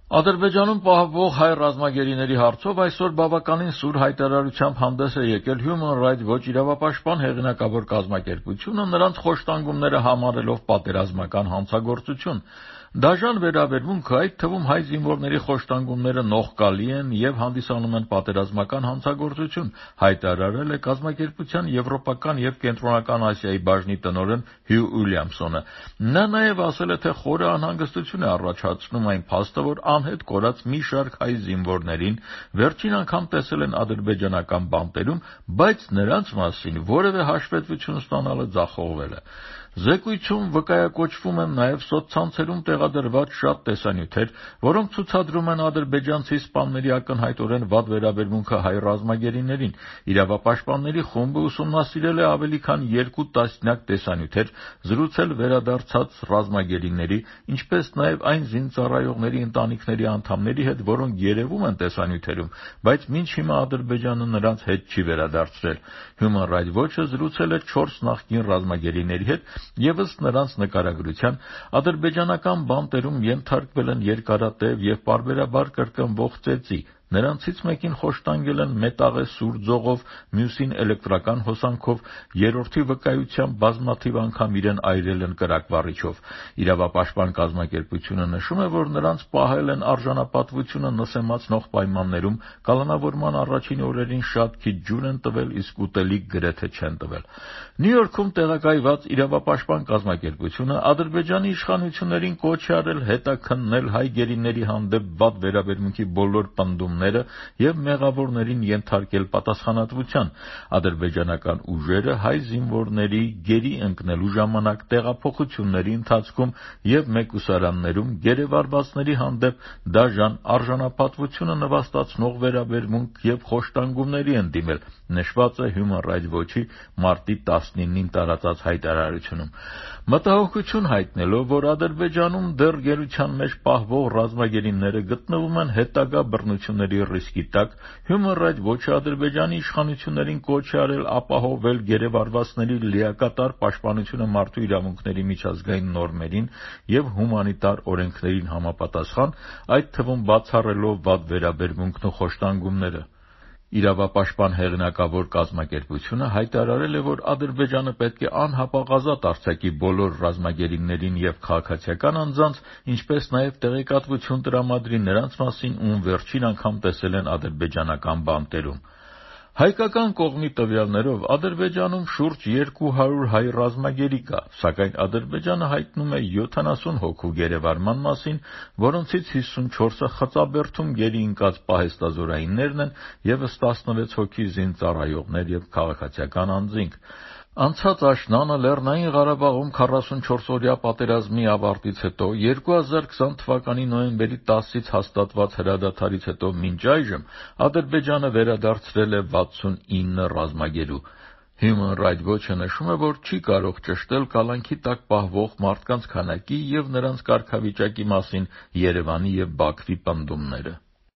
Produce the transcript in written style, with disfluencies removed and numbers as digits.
Ադրբեջանում պահվող հայ ռազմագերիների հարցով այսօր բավականին սուր հայտարարությամբ հանդես է եկել Human Rights Watch իրավապաշտպան հեղինակավոր կազմակերպությունը, նրանց խոշտանգումները համարելով պատերազմական հանցագործություն։ Դաժան վերաբերմունքը, այդ թվում հայ զինվորների խոշտանգումները նողկալի են և հանդիսանում են պատերազմական հանցագործություն, հայտարարել է կազմակերպության Եվրոպական և Կենտրոնական Ասիայի բաժնի տնօրեն Հյու Ուիլյամսոնը։ Նա նաև ասել է, թե խորը անհանգստություն է առաջացնում այն փաստը, որ անհետ կորած մի շարք հայ զինվորներին վերջին անգամ տեսել են ադրբեջանական բանտերում, բայց նրանց մասին որևէ հաշվետվություն ստանալը ձախողվել է։ Զեկույցում վկայակոչվում են նաև սոցցանցերում տեղադրված շատ տեսանյութեր, որոնք ցուցադրում են ադրբեջանցի սպաների ակնհայտորեն վատ վերաբերմունքը հայ ռազմագերիներին։ Իրավապաշտպանների խումբը ուսումնասիրել է ավելի քան 2 տասնյակ տեսանյութեր, զրուցել վերադարձած ռազմագերիների, ինչպես նաև այն զինծառայողների ընտանիքների անդամների հետ, որոնք երևում են տեսանյութերում, բայց մինչ հիմա Ադրբեջանը նրանց հետ չի վերադարձրել։ Human Rights Watch-ը զրուցել է 4 նախկին ռազմագերիների հետ, և ըստ նրանց նկարագրության, ադրբեջանական բանտերում ենթարկվել են երկարատև և պարբերաբար կրկնվող ծեծի։ Նրանցից մեկին խոշտանգել են մետաղե սուր ձողով, մյուսին էլեկտրական հոսանքով, երրորդի վկայությամբ բազմաթիվ անգամ իրեն այրել են կրակվառիչով։ Իրավապաշտպան կազմակերպությունը նշում է, որ նրանց պահել են արժանապատվությունը նսեմացնող պայմաններում, կալանավորման առաջին օրերին շատ քիչ ջուր են տվել, իսկ ուտելիք գրեթե չեն տվել։ Նյու Յորքում տեղակայված իրավապաշտպան կազմակերպությունը Ադրբեջանի իշխանություններին կոչ է արել հետաքննել հայ գերիների հանդեպ վատ վերաբերմունքի բոլոր պնդումները և մեղավորներին ենթարկել պատասխանատվության։ Ադրբեջանական ուժերը հայ զինվորների գերի ընկնելու ժամանակ, տեղափոխությունների ընթացքում և մեկուսարաններում գերեվարվածների հանդեպ դաժան, արժանապատվությունը նվաստացնող վերաբերմունք և խոշտանգումների են դիմել, նշված է Human Rights Watch-ի մարտի 19-ին տարածած հայտարարությունում։ Մտահոգություն հայտնելով, որ Ադրբեջանում դեռ գերության մեջ պահվող ռազմագերիները գտնվում են հետագա բռնությունների ռիսկի տակ, Human Rights Watch-ը Ադրբեջանի իշխանություններին կոչ է արել ապահովել գերեվարվածների լիակատար պաշտպանությունը մարդու իրավունքների միջազգային նորմերին և հումանիտար օրենքներին համապատասխան, այդ թվում բացառելով վատ վերաբերմունքն ու խոշտանգումները։ Իրավապաշտպան հեղինակավոր կազմակերպությունը հայտարարել է, որ Ադրբեջանը պետք է անհապաղազատ արձակի բոլոր ռազմագերիներին և քաղաքացիական անձանց, ինչպես նաև տեղեկատվություն տրամադրի նրանց մասին, ում վերջին անգամ տեսել են ադրբեջանական բանտերում։ Հայկական կողմի տվյալներով Ադրբեջանում շուրջ 200 հայ ռազմագերի կա, սակայն Ադրբեջանը հայտնում է 70 հոգու գերեվարման մասին, որոնցից 54-ը խծաբերդում գերի ընկած պահեստազորայիններն են, ևս 16 հոգի զինծառայողներ և քաղաքացիական անձինք։ Անցած աշնանը Լեռնային Ղարաբաղում 44-օրյա պատերազմի ավարտից հետո, 2020 թվականի նոյեմբերի 10-ից հաստատված հրադադարից հետո մինչ այժմ Ադրբեջանը վերադարձրել է 69 ռազմագերու։ Human Rights Watch-ը նշում է, որ չի կարող ճշտել կալանքի տակ պահվող մարդկանց քանակի և նրանց կարգավիճակի մասին Երևանի և Բաքվի պնդումները։